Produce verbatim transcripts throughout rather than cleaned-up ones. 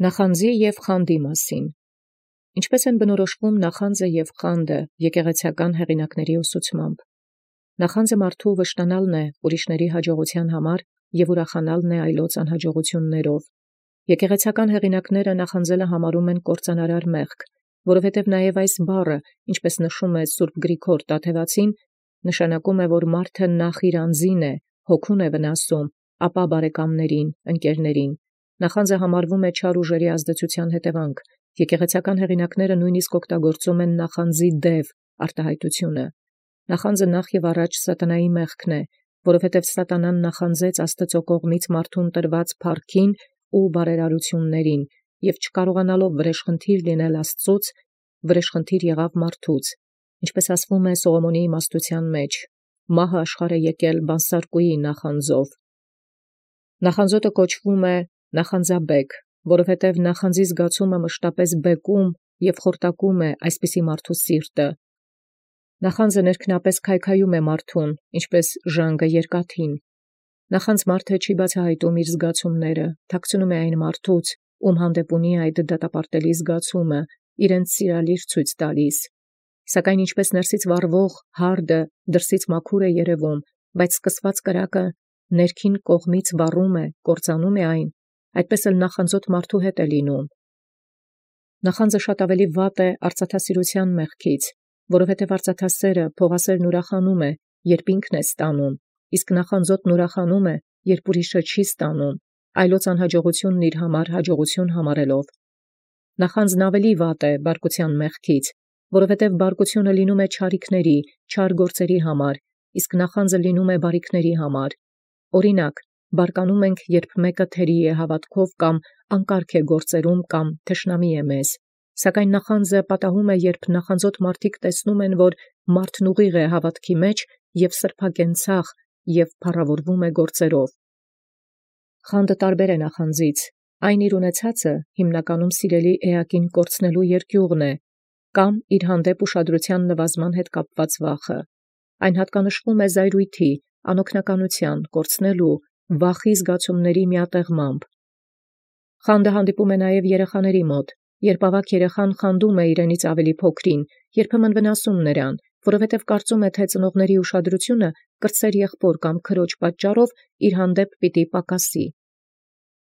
Նախանձի և խանդի մասին։ Ինչպէս են բնորոշվում նախանձը և խանդը եկեղեցական հեղինակացն ուսուցմամբ։ Նախանձը մարդու վշտանալն է ուրիշների հաջողութեան համար և ուրախանալն է այլոց անհաջողութիւններով։ Եկեղեցական հեղինակացն նախանձելը համարում են կործանարար մեղք, որովհետև նաև այս բառը, ինչպես նշում է Սուրբ Գրիգոր Տաթևացին, նշանակում է, որ մարդը նախ իր անձին է, հոգուն է վնասում, ապա բարեկամներին, ընկերներին։ Նախանձը համարվում է չար ուժերի ազդեցության հետևանք։ Եկեղեցական հեղինակացն նույնիսկ օգտագործում են նախանձի դև արտահայտությունը։ Նախանձը նախ եւ առաջ սատանայի մեղքն է, որովհետև սատանան նախանձեց Աստծո կողմից մարդուն տրված փառքին ու բարերարություններին, եւ չկարողանալով վրեժխնդիր լինել Աստծուց, վրեժխնդիր եղավ մարդուց, ինչպես ասվում է Սողոմոնի իմաստութեան մեջ. «Մահը աշխարհ է եկել բանսարկուի նախանձով»։ Նախանձոտը կոչվում է նախանձաբեկ, որովհետև նախանձի զգացումը մշտապես բեկում և խորտակում է այսպիսի մարդու սիրտը։ Նախանձը ներքնապես քայքայում է մարդուն, ինչպես ժանգը երկաթին։ Նախանձ մարդը չի բացահայտում իր զգացումները, թաքցնում է այն մարդուց, ում հանդեպ ունի այդ դատապարտելի զգացումը, իրենց սիրալիր ցույց տալիս։ Սակայն ինչպես ներսից վառվող հարդը դրսից մաքուր է երևում, բայց սկսված կրակը ներքին կողմից վառում է, կործանում է այն, այդպես էլ նախանձոտ մարդու հետ է լինում։ Նախանձը շատ ավելի վատ է արծաթասիրութեան մեղքից, որովհետև արծաթասերը փողասերն ուրախանում է, երբ ինքն է ստանում, իսկ նախանձոտն ուրախանում է, երբ ուրիշը չի ստանում, այլոց անհաջողությունն իր համար հաջողություն համարելով։ Նախանձն ավելի վատ է բարկութեան մեղքից, որովհետև բարկությունը լինում է չարիքների, չար գործերի համար, իսկ նախանձը լինում է բարիքների համար։ Օրինակ, բարկանում ենք, երբ մեկը թերի է հավատքով կամ անկարգ է գործերում կամ թշնամի է մեզ, սակայն նախանձը պատահում է, երբ նախանձոտ մարդիկ տեսնում են, որ մարդն ուղիղ է հավատքի մեջ և սրբակենցաղ և փառավորվում է գործերով։ Խանդը տարբեր է նախանձից, այն իր ունեցածը հիմնականում սիրելի էակին կորցնելու երկյուղն է, կամ իր հանդեպ ուշադրության նվազման հետ կապված վախը։ Այն հատկանշվում է զայրույթի, անօգնականության, կորցնելու, վախի զգացումների միատեղմամբ։ Խանդը հանդիպում է նաև երեխաների մոտ, երբ ավագ երեխան խանդում է իրենից ավելի փոքրին, երբեմն վնասում նրան, որովհետև կարծում է, թե ծնողների ուշադրությունը կրտսեր եղբոր կամ քրոջ պատճառով իր հանդեպ պիտի պակասի։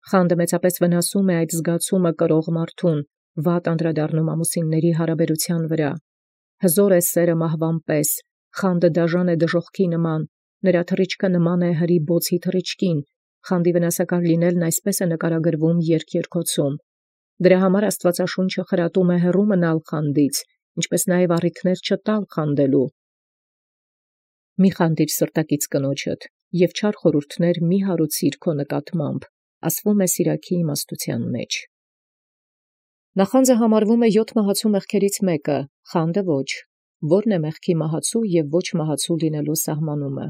Խանդը մեծապես վնասում է այդ զգացումը կրող մարդուն, վատ անդրադառնում ամուսինների հարաբերության վրա։ Հզոր է սերը մահվան պես, խանդը դաժան է դժոխքի նման, նրա թռիչքը նման է հրի բոցի թռիչքին, խանդի վնասակար լինելն այսպես է նկարագրվում երկերկոցում։ Դրա համար Աստվածաշունչը խրատում է հեռու մնալ խանդից, ինչպես նաև առիթներ չտալ խանդելու։ Մի խանդիր սրտակից կնոջդ, և չար խորհուրդներ մի հարուցիր քո նկատմամբ, ասվում է Սիրաքի իմաստութեան մեջ։ Նախանձը համարվում է յոթ մահացու մեղքերից մեկը, խանդը ոչ, որն է մեղքի մահացու և ոչ մահացու լինելու սահմանումը։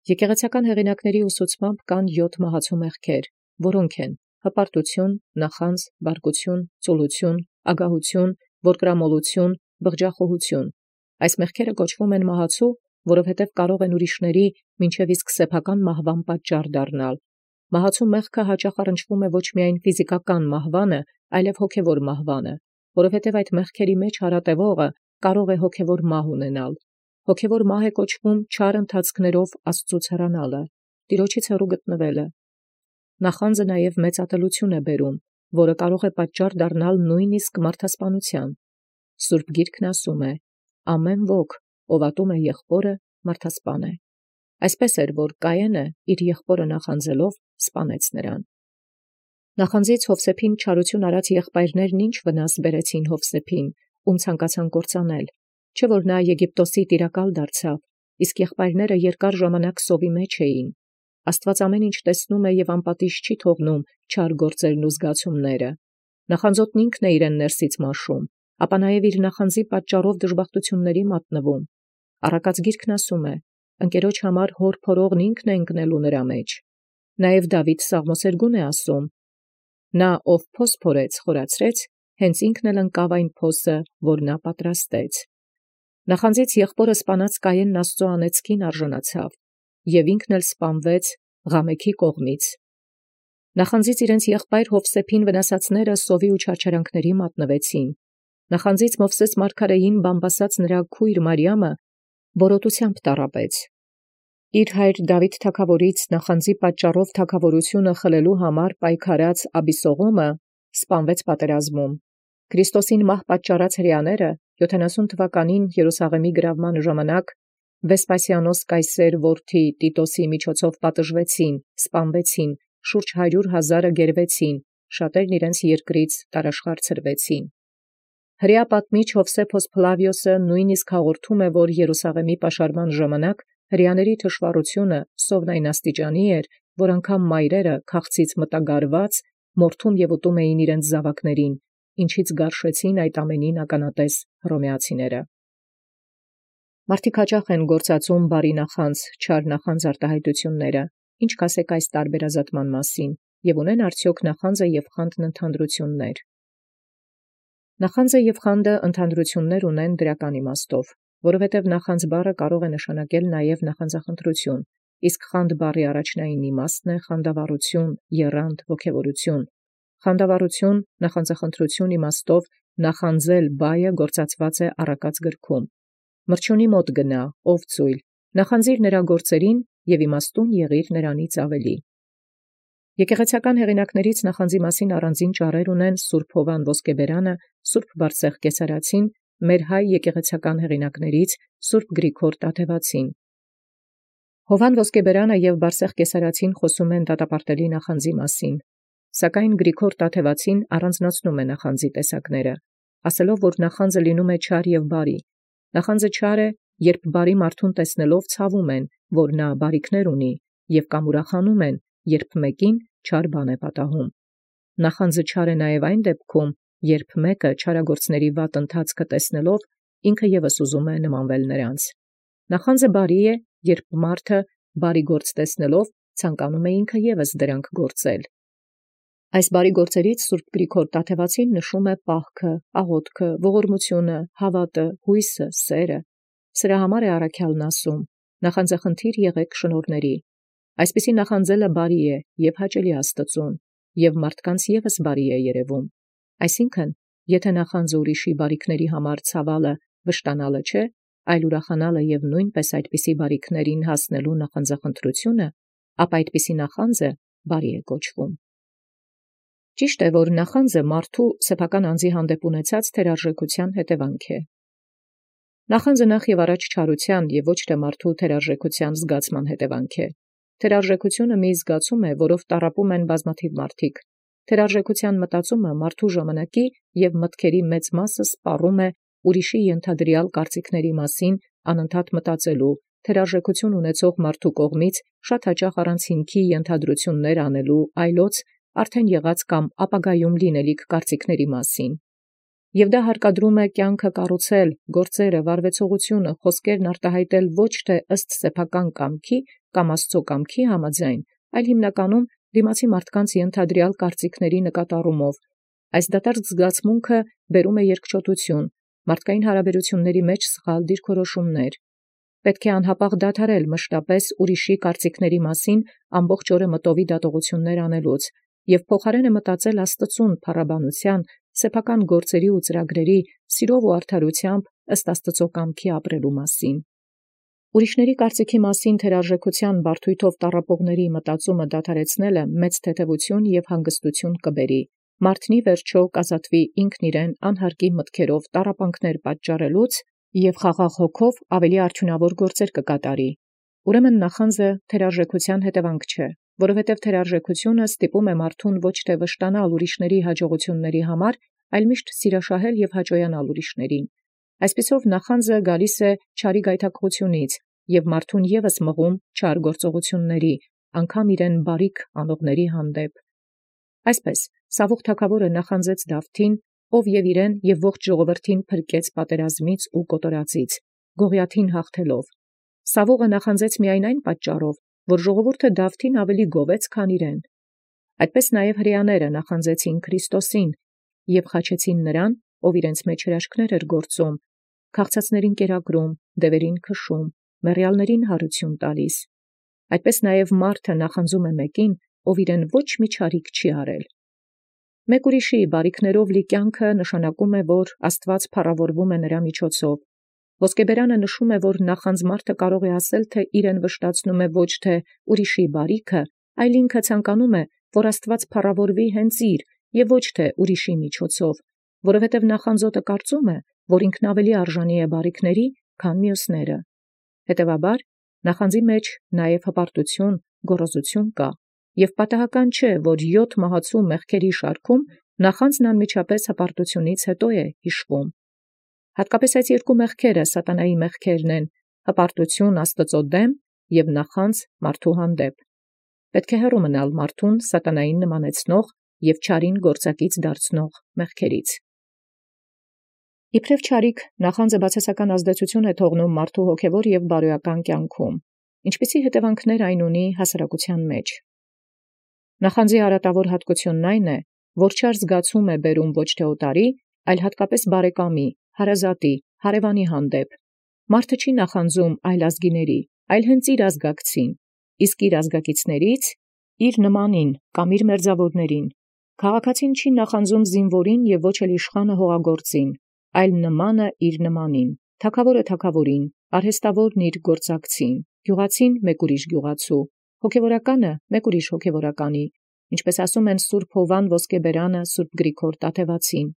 Եկեղեցական հեղինակացն ուսուցմամբ կան յոթ մահացու մեղքեր, որոնք են հպարտություն, նախանձ, բարկություն, ծուլություն, ագահություն, որդկրամոլություն, բղջախոհություն։ Այս մեղքերը կոչվում են մահացու, որովհետև կարող են ուրիշների մինչև իսկ սեփական մահվան պատճառ դառնալ։ Մահացու մեղքը հաճախ առնչվում է ոչ միայն ֆիզիկական մահվանը, այլև հոգևոր մահվանը, որովհետև այդ մեղքերի մեջ հարատևողը կարող է հոգևոր մահ ունենալ։ Հոգևոր մահ է կոչվում չար ընթացքներով Աստծուց հեռանալը, Տիրոջից հեռու գտնվելը։ Նախանձը նաև մեծ ատելություն է բերում, որը կարող է պատճառ դառնալ նույնիսկ մարդասպանության։ Սուրբ Գիրքն ասում է. «Ամեն ոք, ով ատում է եղբորը, մարդասպան է»։ Այսպես էր, որ Կայենը իր եղբորը նախանձելով սպանեց նրան։ Նախանձից Հովսեփին չարություն արած եղբայրներն ինչ վնաս բերեցին Հովսեփին, ում ցանկացան կործանել, չէ՞ որ նա Եգիպտոսի տիրակալ դարձավ, իսկ եղբայրները երկար ժամանակ սովի մեջ էին։ Աստված ամեն ինչ տեսնում է և անպատիժ չի թողնում չար գործերն ու զգացումները։ Նախանձոտն ինքն է իրեն ներսից մաշում, ապա նաև իր նախանձի պատճառով դժբախտությունների մատնվում։ Առակաց Գիրքն ասում է. «Ընկերոջ համար հոր փորողն ինքն է ընկնելու նրա մեջ»։ Նաև Դավիթ Սաղմոսերգուն է ասում. «Նա ով փոս փորեց, խորացրեց, հենց ինքն էլ ընկավ այն փոսը, որ նա պատրաստեց»։ Նախանձից եղբորը սպանած Կայենն Աստծո անեծքին արժանացավ, և ինքն էլ սպանվեց Ղամեքի կողմից։ Նախանձից իրենց եղբայր Յովսեփին վնասածները սովի ու չարչարանքների մատնվեցին. նախանձից Մովսես մարգարեին բամբասած նրա քույր Մարիամը բորոտութեամբ տառապեց։ Իր հայր Դաւիթ թագաւորից նախանձի պատճառով թագաւորությունը խլելու համար պայքարած Աբիսողոմը սպանվեց պատերազմում։ Քրիստոսին մահ պատճառած հրեաները յոթանասուն թվականին Երուսաղեմի գրավման ժամանակ Վեսպասիանոս կայսեր որդի Տիտոսի միջոցով պատժվեցին, սպանվեցին, շուրջ հարյուր հազարը գերվեցին, շատերն իրենց երկրից տարաշխար ցրվեցին։ Հրեա պատմիչ Յովսեփոս Փլավիոսը նույնիսկ հաղորդում է, որ Երուսաղեմի պաշարման ժամանակ հրեաների թշվառությունը սովն այն աստիճանի էր, որ անգամ մայրերը քաղցից մտագարված մորթում եւ ուտում էին իրենց զավակներին, ինչից գարշեցին այդ ամենին ականատես հռոմեացիները։ Մարդիկ հաճախ են գործածում բարի նախանձ, չար նախանձ արտահայտությունները, ինչ կասեք այս տարբերազատման մասին, եւ ունեն արդյոք նախանձը եւ խանդն ընդհանրություններ։ Նախանձը եւ խանդը ընդհանրություններ ունեն դրական իմաստով, որովհետև նախանձ բառը կարող է նշանակել նաև նախանձախնդրություն, իսկ խանդ բառի առաջնային իմաստն է խանդավառություն, եռանդ, ոգևորություն։ Խանդավառություն, նախանձախնդրություն իմաստով նախանձել բայը գործածված է առակած գրքում։ Մրջյունի մոտ գնա, ով ծույլ, նախանձիր նրա գործերին եւ իմաստուն եղիր նրանից ավելի։ Եկեղեցական հեղինակներից նախանձի մասին առանձին ճառեր ունեն Սուրբ Հովան Ոսկեբերանը, Սուրբ Բարսեղ Կեսարացին, մեր հայ եկեղեցական հեղինակներից Սուրբ Գրիգոր Տաթևացին։ Հովան Ոսկեբերանը եւ Բարսեղ Կեսարացին խոսում են դատապարտելի նախանձի մասին, սակայն Գրիգոր Տաթևացին առանձնացնում է նախանձի տեսակները, ասելով, որ նախանձը լինում է չար եւ բարի։ Նախանձը չար է, երբ բարի մարդուն տեսնելով ցավում են, որ նա բարիքներ ունի, եւ կամ ուրախանում են, երբ մեկին չար բան է պատահում։ Նախանձը չար է նաև այն դեպքում, երբ մեկը չարագործների վատ ընթացքը տեսնելով ինքը եւս ուզում է նմանվել նրանց։ Նախանձը բարի է, երբ մարդը բարի գործ տեսնելով ցանկանում է ինքը եւս դրանք գործել։ Այս բարի գործերից Սուրբ Գրիգոր Տաթևացին նշում է պահքը, աղոթքը, ողորմությունը, հավատը, հույսը, սերը։ Սրա համար է առաքյալն ասում. նախանձախնդիր եղեք շնորհների։ Այսպիսի նախանձելը բարի է եւ հաճելի Աստծուն, եւ մարդկանց եւս բարի է երևում։ Այսինքն, եթե նախանձը ուրիշի բարիքների համար ցավալը, վշտանալը չէ, այլ ուրախանալը եւ նույնպես այդպիսի բարիքներին հասնելու նախանձախնդրությունը, ապա այդպիսի նախանձը բարի է կոչվում։ Ճիշտ է, որ նախանձը մարդու սեփական անձի հանդեպ ունեցած թերարժեքության հետևանք է։ Նախանձը նախ եւ առաջ չարության եւ ոչ թե մարդու թերարժեքության զգացման հետևանք է։ Թերարժեքությունը մի զգացում է, որով տառապում են բազմաթիվ մարդիկ։ Թերարժեքության մտածումը մարդու ժամանակի եւ մտքերի մեծ մասը սպառում է ուրիշի ենթադրյալ կարծիքների մասին անընդհատ մտածելու, թերարժեքություն ունեցող մարդու կողմից շատ հաճախ առանց հիմքի ենթադրություններ անելու, այլոց արդեն եղած կամ ապագայում լինելիք կարծիքների մասին։ Եվ դա հարկադրում է կյանքը կառուցել, գործերը, վարվեցողությունը, խոսքերն արտահայտել ոչ թե ըստ սեփական կամքի կամ Աստծո կամքի համաձայն, այլ հիմնականում դիմացի մարդկանց ենթադրյալ կարծիքների նկատառումով։ Այս դատարկ զգացմունքը բերում է երկչոտություն, մարդկային հարաբերությունների մեջ սխալ դիրքորոշումներ։ Պետք է անհապաղ դադարել մշտապես ուրիշի կարծիքների մասին ամբողջ օրը մտովի դատողություններ անելուց եւ փոխարենը մտածել Աստծուն փառաբանության, սեփական գործերի ու ծրագրերի, սիրով ու արդարությամբ ըստ Աստծո կամքի ապրելու մասին։ Ուրիշների կարծիքի մասին թերարժեքության բարդույթով տառապողների մտածումը դադարեցնելը մեծ թեթևություն եւ հանգստություն կբերի։ Մարդնի վերջո կազատվի ինքն իրեն անհարկի մտքերով տառապանքներ պատճառելուց եւ խաղաղ հոգով ավելի արդյունավոր գործեր կկատարի։ Ուրեմն նախանձը թերարժեքության հետևանք չէ, որովհետև թերարժեքությունը ստիպում է մարդուն ոչ թե վշտանալ ուրիշների հաջողությունների համար, այլ միշտ սիրաշահել եւ հաճոյանալ ուրիշներին։ Այսպիսով նախանձը գալիս է չարի գայթակղությունից եւ մարդուն եւս մղում չար գործողությունների, անգամ իրեն բարիք անողների հանդեպ։ Այսպես Սավուղ թագավորը նախանձեց Դավթին, ով եւ իրեն եւ ողջ ժողովրդին փրկեց պատերազմից ու կոտորածից, Գողիաթին հաղթելով։ Սավուղը նախանձեց միայն այն պատճառով, որ ժողովուրդը Դավթին ավելի գովեց, քան իրեն։ Այդպես նաև հրեաները նախանձեցին Քրիստոսին եւ խաչեցին նրան, ով իրենց մեջ հրաշքներ էր գործում, քաղցածներին կերակրում, դևերին քշում, մեռյալներին հարություն տալիս։ Այդպես նաև մարդը նախանձում է մեկին, ով իրեն ոչ մի չարիք չի արել։ Մեկ ուրիշի բարիքներով լի կյանքը նշանակում է, որ Աստված փառավորվում է նրա միջոցով։ Ոսկեբերանը նշում է, որ նախանձ մարդը կարող է ասել, թե իրեն վշտացնում է ոչ թե ուրիշի բարիքը, այլ ինքը ցանկանում է, որ Աստված փառավորվի հենց իր և ոչ թե ուրիշի միջոցով, որովհետև նախանձոտը կարծում է, որ ինքն ավելի արժանի է բարիքների, քան մյուսները։ Հետևաբար, նախանձի մեջ նաև հպարտություն, գոռոզություն կա, և պատահական չէ, որ յոթ մահացու մեղքերի շարքում նախանձն անմիջապես հպարտությունից հետո է հիշվում։ Հատկապես այս երկու մեղքերը սատանայի մեղքերն են՝ հպարտություն Աստծո դեմ և նախանձ մարդու հանդեպ։ Պետք է հեռու մնալ մարդուն սատանային նմանեցնող և չարին գործակից դարձնող մեղքերից։ Իբրև չարիք նախանձը բացասական ազդեցություն է թողնում մարդու հոգևոր և բարոյական կյանքում, ինչպիսի հետևանքներ այն ունի հասարակության մեջ։ Նախանձի արատավոր հատկությունն այն է, որ չար զգացում է բերում ոչ թե օտարի, այլ հատկապես բարեկամի, հարազատի, հարևանի հանդեպ։ Մարդը չի նախանձում այլ ազգիների, այլ հենց իր ազգակցին, իսկ իր ազգակիցներից իր նմանին կամ իր մերձավորներին։ Քաղաքացին չի նախանձում զինվորին և ոչ էլ իշխանը հողագործին, այլ նմանը իր նմանին, թագավորը թագավորին, արհեստավորն իր գործակցին, գյուղացին մեկ ուրիշ գյուղացու, հոգևորականը մեկ ուրիշ հոգևորականի, ինչպես ասում են Սուրբ Հովվան Ոսկեբերանը Սուրբ Գրիգոր Տաթևացին։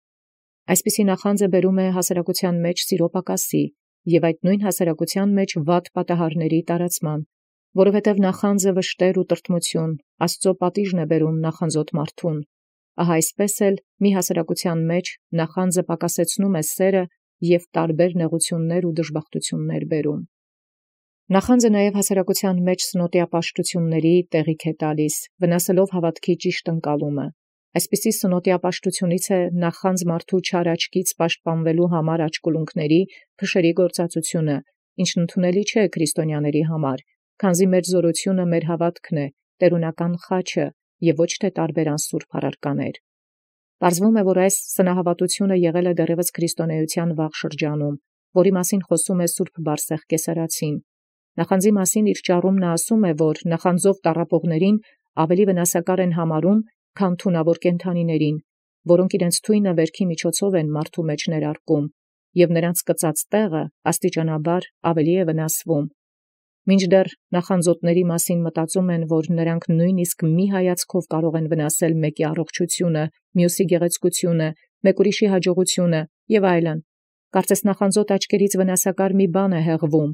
Այսպիսի նախանձը բերում է հասարակության մեջ սիրո պակասի և այդ նույն հասարակության մեջ վատ պատահարների տարածման, որովհետև նախանձը վշտեր ու տրտմություն, Աստծո պատիժն է բերում նախանձոտ մարդուն։ Ահա այսպես էլ մի հասարակության մեջ նախանձը պակասեցնում է սերը և տարբեր նեղություններ ու դժբախտություններ բերում։ Նախանձը նաև հասարակության մեջ սնոտիապաշտությունների տեղիք է տալիս, վնասելով հավատքի ճիշտ ընկալումը։ Այսպիսի սնոտիապաշտությունից է նախանձ մարդու չար աչքից պաշտպանվելու համար աչկուլունքների փշերի գործածությունը, ինչն ընդունելի չէ քրիստոնյաների համար, քանզի մեր զորությունը մեր հավատքն է, տերունական խաչը և ոչ թե տարբեր անսուրբ առարկաներ։ Պարզվում է, որ այս սնահավատությունը եղել է դեռևս քրիստոնեության վաղ շրջանում, որի մասին խոսում է Սուրբ Բարսեղ Կեսարացին։ Նախանձի մասին իր ճառումն ասում է, որ նախանձով տառապողներին ավելի վնասակար են համարում, քան թունավոր կենդանիներին, որոնք իրենց թույնը վերքի միջոցով են մարդու մեջ ներարկում, և նրանց կծած տեղը աստիճանաբար ավելի է վնասվում։ Մինչդեռ նախանձոտների մասին մտածում են, որ նրանք նույնիսկ մի հայացքով կարող են վնասել մեկի առողջությունը, մյուսի գեղեցկությունը, մեկ ուրիշի հաջողությունը և այլն։ Կարծես նախանձոտ աչքերից վնասակար մի բան է հեղվում։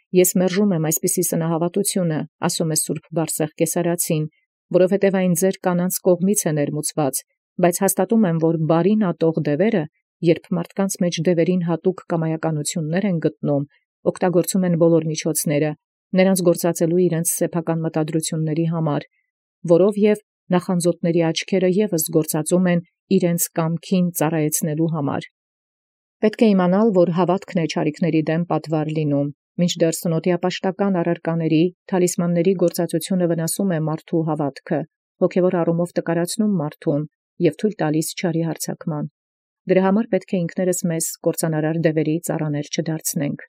Ես մերժում եմ այսպիսի սնահավատությունը, ասում է Սուրբ Բարսեղ Կեսարացին, որովհետև այն ձեր կանանց կողմից է ներմուծված, բայց հաստատում եմ, որ բարին ատող դևերը, երբ մարդկանց մեջ դևերին հատուկ կամայականություններ են գտնում, օգտագործում են բոլոր միջոցները, նրանց գործածելու իրենց սեփական մտադրությունների համար, որով և նախանձոտների աչքերը ևս գործածում են իրենց կամքին ծառայեցնելու համար։ Պետք է իմանալ, որ հավատքն է չարիքների դեմ պատվար լինում, մինչդեռ սնոտիապաշտական առարկաների, թալիսմանների գործածությունը վնասում է մարդու հավատքը, հոգևոր առումով տկարացնում մարդուն և թույլ տալիս չարի հարձակման։ Դրա համար պետք է ինքներս մեզ կործանարար դևերի ծառաներ չդարձնենք։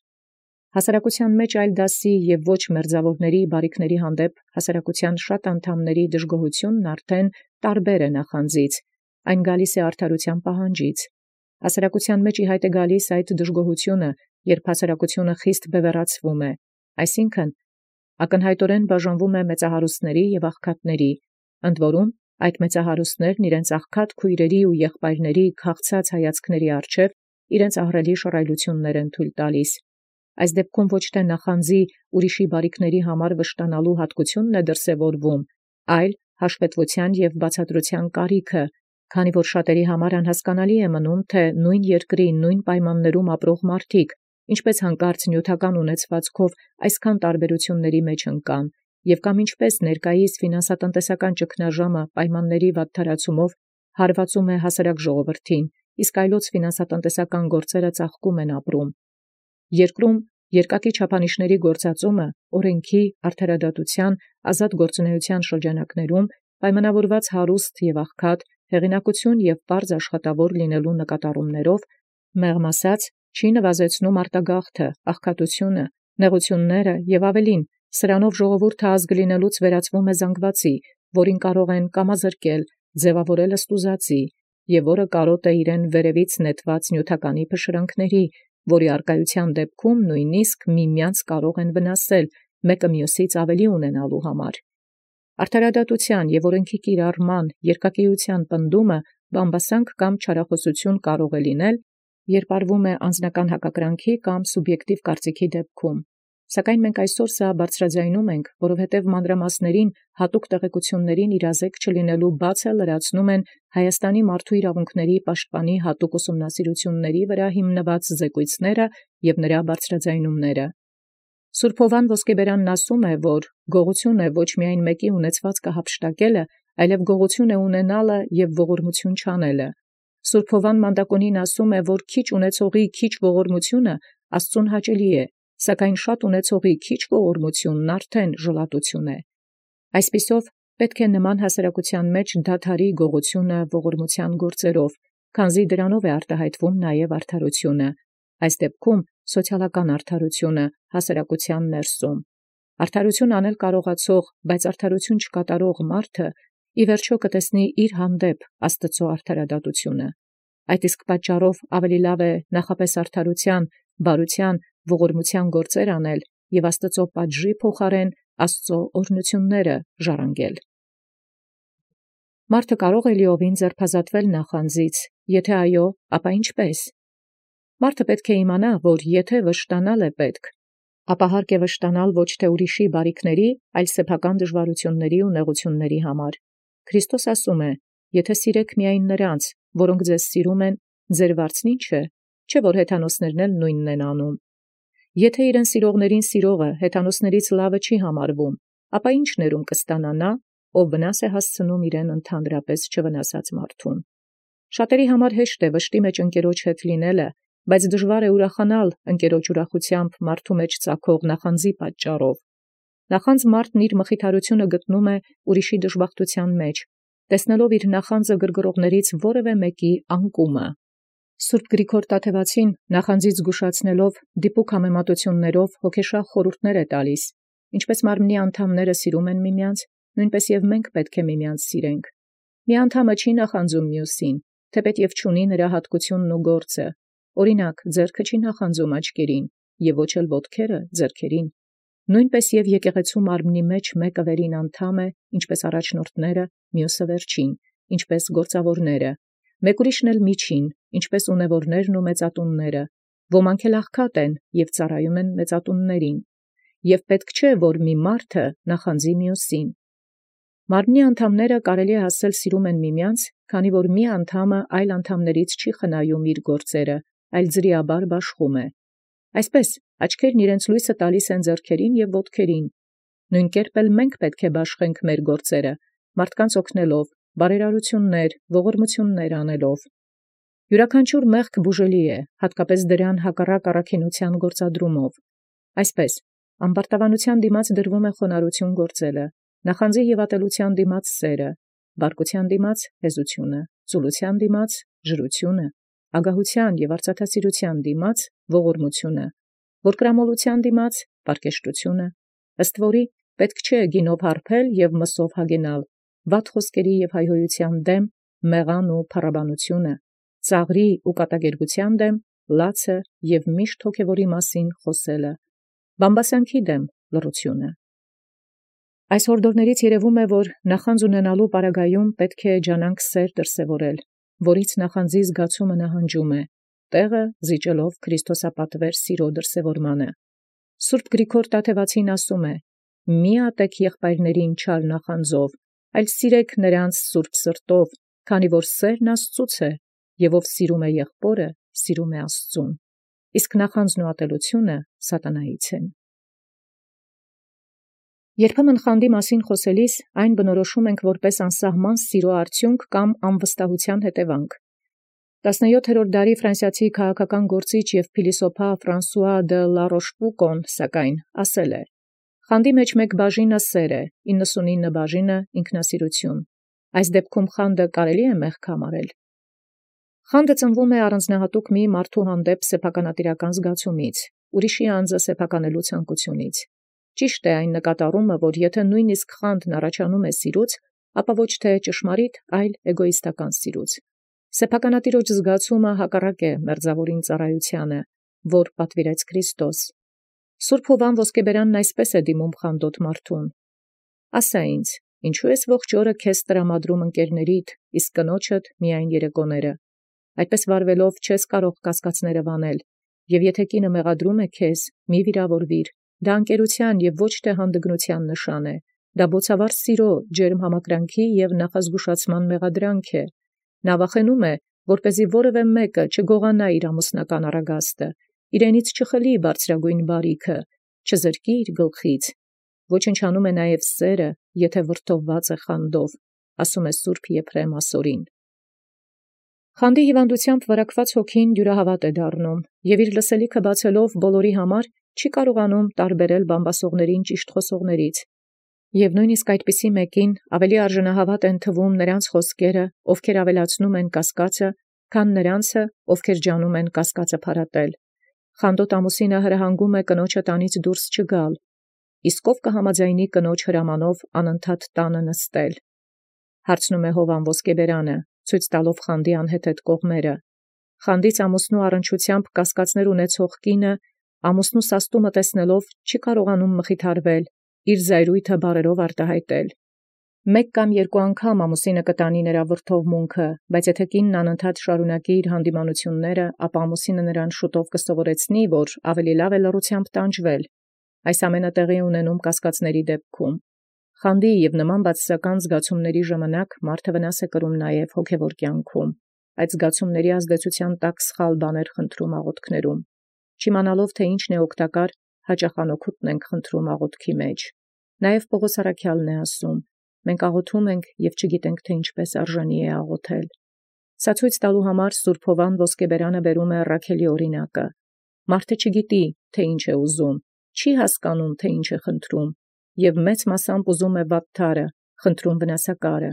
Հասարակության մեջ այլ դասի և ոչ մերձավորների բարիքների հանդեպ հասարակության շատ անդամների դժգոհությունն արդեն տարբեր է նախանձից, այն գալիս է արդարության պահանջից։ Հասարակության մեջ ի հայտ է գալիս այդ դժգոհությունը, երբ հասարակությունը խիստ բևեռացվում է, այսինքն ակնհայտորեն բաժանվում է մեծահարուստների և աղքատների, ընդ որում այդ մեծահարուստներն իրենց աղքատ քույրերի ու եղբայրների քաղցած հայացքների առջև իրենց ահռելի շռայլություններ են թույլ տալիս։ Այս դեպքում ոչ թե նախանձի ուրիշի բարիքների համար վշտանալու հատկությունն է դրսևորվում, այլ հաշվետվության և բացատրության կարիքը, քանի որ շատերի համար անհասկանալի է մնում, թե նույն երկրի նույն պայմաններում ապրող մարդիկ ինչպես հանկարծ նյութական ունեցվածքով այսքան տարբերությունների մեջ ընկան, և կամ ինչպես ներկայիս ֆինանսատնտեսական ճգնաժամը պայմանների վատթարացումով հարվածում է հասարակ ժողովրդին, իսկ այլոց ֆինանսատնտեսական գործերը ծաղկում են ապրում։ Երկրում երկակի չափանիշների գործածումը օրենքի, արդարադատության, ազատ գործունեության շրջանակներում պայմանավորված հարուստ և աղքատ, հեղինակություն և պարզ աշխատավոր լինելու նկատառումներով, մեղմ ասած, չի նվազեցնում արտագաղթը, աղքատությունը, նեղությունները և ավելին, սրանով ժողովուրդը ազգ լինելուց վերածվում է զանգվածի, որին կարող են կամազրկել, ձևավորել ստուզածի, և որը կարոտ է իրեն վերևից նետված նյութականի փշրանքների, որի արկայության դեպքում նույնիսկ միմյանց կարող են վնասել, մեկը մյուսից ավելի ունենալու համար։ Արդարադատության և օրենքի կիրառման երկակիության պնդումը բամբասանք կամ չարախոսություն կարող է լինել, երբ արվում է անձնական հակակրանքի կամ սուբյեկտիվ կարծիքի դեպքում։ Սակայն մենք այսօր սա բարձրաձայնում ենք, որովհետև մանրամասներին հատուկ տեղեկություններին իրազեկ չլինելու բացը լրացնում են Հայաստանի մարդու իրավունքների պաշտպանի հատուկ ուսումնասիրությունների վրա հիմնված զեկույցները և նրա բարձրաձայնումները։ Սուրբ Հովվան Ոսկեբերանն ասում է, որ գողություն է ոչ միայն մեկի ունեցվածքը հափշտակելը, այլև գողություն է ունենալը և ողորմություն չանելը։ Սուրբ Հովվան Մանդակոնին ասում է, որ քիչ ունեցողի քիչ ողորմությունը Աստծուն հաճելի է, սակայն շատ ունեցողի քիչ ողորմությունն արդեն ժլատություն է։ Այսպիսով պետք է նման հասարակության մեջ դադարի գողությունը ողորմության գործերով, քանզի դրանով է արտահայտվում նաև արդարությունը, այս դեպքում սոցիալական արդարությունը հասարակության ներսում։ Արդարություն անել կարողացող, բայց արդարություն չկատարող մարդը ի վերջո կտեսնի իր հանդեպ Աստծո արդարադատությունը։ Այդ իսկ պատճառով ավելի լավ է նախապես արդարության, բարության, ողորմության գործեր անել և Աստծո պատժի փոխարեն Աստծո օրհնությունները ժառանգել։ Մարդը կարող է լիովին ձերբազատվել նախանձից, եթե այո, ապա ինչպե՞ս։ Մարդը պետք է իմանա, որ եթե վշտանալ է պետք, ապա հարկ է վշտանալ ոչ թե ուրիշի բարիքների, այլ սեփական դժվարությունների ու նեղությունների համար։ Քրիստոս ասում է. «Եթե սիրեք միայն նրանց, որոնք ձեզ սիրում են, ձեր վարձն ի՞նչ է, չէ՞ որ հեթանոսներն էլ նույնն են անում։ Եթե իրեն սիրողներին սիրողը հեթանոսներից լավը չի համարվում, ապա ի՞նչ ներում կստանա նա, ով վնաս է հասցնում իրեն ընդհանրապես չվնասած մարդուն»։ Շատերի համար հեշտ է վշտի մեջ ընկերոջ հետ լինելը, բայց դժվար է ուրախանալ ընկերոջ ուրախությամբ մարդու մեջ ծագող նախանձի պատճառով։ Նախանձ մարդն իր մխիթարությունը գտնում է ուրիշի դժբախտության մեջ, տեսնելով իր նախանձը գրգռողներից որևէ մեկի անկումը։ Սուրբ Գրիգոր Տաթևացին նախանձից զգուշացնելով դիպուկ համեմատություններով հոգեշաղ խորհուրդներ է տալիս, ինչպես մարմնի անդամները սիրում են միմյանց, նույնպես և մենք պետք է միմյանց սիրենք։ Մի անդամը չի նախանձում մյուսին, թեպետ և չունի նրա հատկությունն ու գործը։ Օրինակ, ձեռքը չի նախանձում աչքերին, և ոչ էլ ոտքերը ձեռքերին։ Նույնպես և եկեղեցու մարմնի մեջ մեկը վերին անդամ է, ինչպես առաջնորդները, մյուսը վերջին, ինչպես գործավորները, մեկ ուրիշն էլ միջին, ինչպես ունևորներն ու մեծատունները, ոմանք էլ աղքատ են և ծառայում են մեծատուններին, և պետք չէ, որ մի մարդը նախանձի մյուսին։ Մարմնի անդամները կարելի է ասել սիրում են միմյանց, քանի որ մի անդամը այլ անդամներից չի խնայում իր գործերը, այլ ձրիաբար բաշխում է։ Այսպես աչքերն իրենց լույսը տալիս են ձեռքերին և ոտքերին։ Նույն կերպ էլ մենք պետք է բաշխենք մեր գործերը, մարդկանց օգնելով, բարերարություններ, ողորմություններ անելով։ Յուրաքանչյուր մեղք բուժելի է, հատկապես դրան հակառակ առաքինության գործադրումով։ Այսպես, ամբարտավանության դիմաց դրվում է խոնարհություն գործելը, նախանձի և ատելության դիմաց սերը, բարկության դիմաց հեզությունը, ծուլության դիմաց ժրությունը, ագահության և արծաթասիրության դիմաց ողորմությունը, որկրամոլության դիմաց պարկեշտությունը, ըստ որի պետք չէ գինով հարբել և մսով հագենալ, վատ խոսքերի և հայհոյության դեմ մեղան ու փառաբանությունը, ծաղրի ու կատակերգության դեմ լացը և միշտ հոգևորի մասին խոսելը, բամբասանքի դեմ լռությունը։ Այս հորդորներից երևում է, որ նախանձ ունենալու պարագայում պետք է ջանանք սեր դրսևորել, որից նախանձի զգացումը նահանջում է, տեղը զիջելով քրիստոսապատվեր սիրո դրսևորմանը։ Սուրբ Գրիգոր Տաթևացին ասում է. «Մի ատեք եղբայրներին չար նախանձով, այլ սիրեք նրանց սուրբ սրտով, քանի որ սերն Աստծուց է, և ով սիրում է եղբորը, սիրում է Աստծուն, իսկ նախանձն ու ատելությունը սատանայից են»։ Երբեմն խանդի մասին խոսելիս այն բնորոշում ենք որպես անսահման սիրո արդյունք կամ անվստահության հետևանք։ տասնյոթերորդ դարի ֆրանսիացի քաղաքական գործիչ և փիլիսոփա Ֆրանսուଆ դը Լարոշպուկոն սակայն ասել է. «Խանդի մեջ մեկ բաժինը սեր է, իննսունինը բաժինը ինքնասիրություն։ Այս դեպքում խանդը կարելի է մեղք համարել»։ Խանդը ծնվում է առանձնահատուկ մի մարդու հանդեպ սեփականատիրական զգացումից, ուրիշի անձը սեփականելու ցանկությունից։ Ճիշտ է այն նկատառումը, որ եթե նույնիսկ խանդն առաջանում է սիրուց, ապա ոչ թե ճշմարիտ, այլ էգոիստական սիրուց։ Սեփականատիրոջ զգացումը հակառակ է մերձավորին ծառայությանը, որ պատվիրեց Քրիստոս։ Սուրբ Հովվան Ոսկեբերանն այսպես է դիմում խանդոտ մարդուն. «Ասա ինձ, ինչու ես ողջ օրը քեզ տրամադրում ընկերներիդ, իսկ կնոջդ միայն երեկոները։ Այդպես վարվելով չես կարող կասկածները վանել, և եթե կինը մեղադրում է քեզ, մի վիրավորվիր, դա ընկերության և ոչ թե հանդգնության նշան է, դա բոցավառ սիրո, ջերմ համակրանքի և նախազգուշացման մեղադրանք է։ Նա վախենում է, որպեսզի որևէ մեկը չգողանա իր ամուսնական առագաստը, իրենից չխլի բարձրագույն բարիքը, չզրկի իր գլխից։ Ոչնչանում է նաև սերը, եթե վրդովված է խանդով, ասում է Սուրբ Եփրեմ ասորին»։ Խանդի հիվանդությամբ վարակված հոգին դյուրահավատ է դառնում, և իր լսելիքը բացելով բոլորի համար չի կարողանում տարբերել բամբասողներին ճիշտ խոսողներից։ Եվ նույնիսկ այդպիսի մեկին ավելի արժանահավատ են թվում նրանց խոսքերը, ովքեր ավելացնում են կասկածը, քան նրանցը, ովքեր ջանում են կասկածը փարատել։ Խանդոտ ամուսինը հրահանգում է կնոջը տանից դուրս չգալ, իսկ ով կհամաձայնի կնոջ հրամանով անընդհատ տանը նստել։ Հարցնում է Հովվան Ոսկեբերանը, ցույց տալով խանդի անհեթեթ կողմերը։ Խանդից ամուսնու առնչությամբ կասկածներ ունեցող կինը ամուսնու սաստումը տեսնելով չի կարողանում մխիթարվել, իր զայրույթը բառերով արտահայտել։ Մեկ կամ երկու անգամ ամուսինը կտանի նրա վրդովմունքը, բայց եթե կինն անընդհատ շարունակի իր հանդիմանությունները, ապա ամուսինը նրան շուտով կսովորեցնի, որ ավելի լավ է լռությամբ տանջվել։ Այս ամենը տեղի է ունենում կասկածների դեպքում։ Խանդի և նման բացասական զգացումների ժամանակ մարդը վնաս է կրում նաև հոգևոր կյանքում, այդ զգացումների ազդեցության տակ սխալ բաներ խնդրում աղոթքներում, չիմանալով թե ինչն է օգտակար, հաճախ անօգուտն ենք խնդրում աղոթքի մեջ։ Նաև Պողոս առաքյալն է ասում. մենք աղոթում ենք և չգիտենք, թե ինչպես արժանի է աղոթել։ Սա ցույց տալու համար Սուրբ Հովվան Ոսկեբերանը բերում է Ռաքելի օրինակը։ Մարդը չգիտի, թե ինչ է ուզում, չի հասկանում, թե ինչ է խնդրում, և մեծ մասամբ ուզում է վատթարը, խնդրում վնասակարը։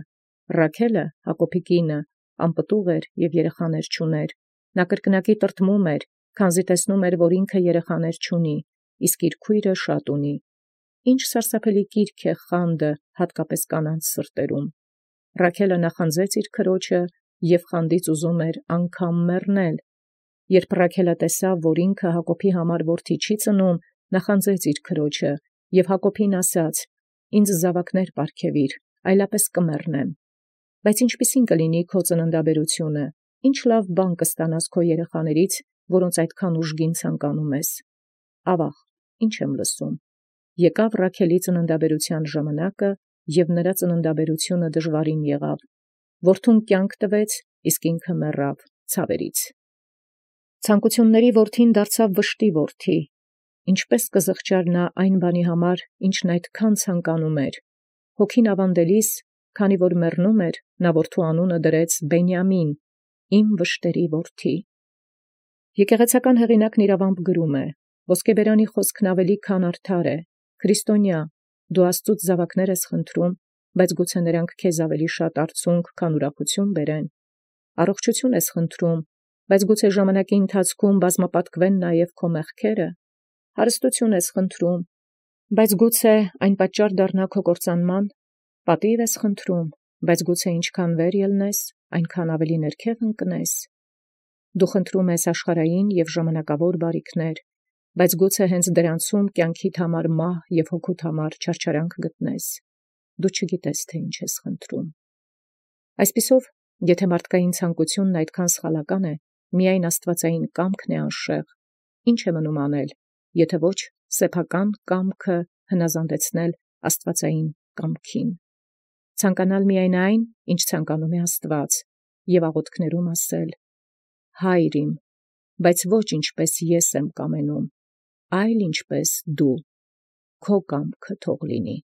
Ռաքելը, Հակոբի կինը, անպտուղ էր և երեխաներ չուներ։ Նա կրկնակի տրտմում էր, քանզի տեսնում էր, որ ինքը երեխաներ չունի, իսկ իր քույրը շատ ունի։ Ինչ սարսափելի կիրք է խանդը, հատկապես կանանց սրտերում։ Ռաքելը նախանձեց իր քրոջը և խանդից ուզում էր անգամ մեռնել։ Երբ Ռաքելը տեսավ, որ ինքը Հակոբի համար որդի չի ծնում, նախանձեց իր քրոջը և Հակոբին ասաց. «Ինձ զաւակներ պարգևիր, այլապես կմեռնեմ»։ Բայց ինչպիսին կլինի քո ծննդաբերությունը, ինչ լավ բան կստանաս քո երեխաներից, որոնց այդքան ուժգին ցանկանում ես։ Ավաղ, ինչ եմ լսում։ Եկավ Ռաքելի ծննդաբերության ժամանակը, և նրա ծննդաբերությունը դժվարին եղավ։ Որդուն կյանք տվեց, իսկ ինքը մեռավ ցավերից։ Ցանկությունների որդին դարձավ վշտի որդի։ Ինչպե՞ս կզղջար նա այն բանի համար, ինչն այդքան ցանկանում էր։ Հոգին ավանդելիս, քանի որ մեռնում էր, նա որդու անունը դրեց Բենիամին, իմ վշտերի որդի։ Եկեղեցական հեղինակն իրավամբ գրում է. Ոսկեբերանի խոսքն ավելի քան արդար է, քրիստոնյա, դու Աստծուց զաւակներ ես խնդրում, բայց գուցե նրանք քեզ ավելի շատ արցունք, քան ուրախություն բերեն։ Առողջություն ես խնդրում, բայց գուցե ժամանակի ընթացքում բազմապատկվեն նաև քո մեղքերը։ Հարստություն ես խնդրում, բայց գուցե այն պատճառ դառնա քո կործանման։ Պատիվ ես խնդրում, բայց գուցե ինչքան վեր ելնես, այնքան ավելի ներքև ընկնես։ Դու խնդրում ես աշխարհային և ժամանակավոր բարիքներ, բայց գուցե հենց դրանցում կյանքիդ համար մահ և հոգուդ համար չարչարանք գտնես։ Դու չգիտես, թե ինչ ես խնդրում։ Այսպիսով, եթե մարդկային ցանկությունն այդքան սխալական է, միայն աստվածային կամքն է անշեղ, ինչ է մնում անել, եթե ոչ սեփական կամքը հնազանդեցնել աստվածային կամքին։ Ցանկանալ միայն այն, ինչ ցանկանում է Աստված, և աղոթքներում ասել. «Հայր իմ, բայց ոչ ինչպես ես եմ կամենում, այլ ինչպես դու, քո կամքը թող լինի»։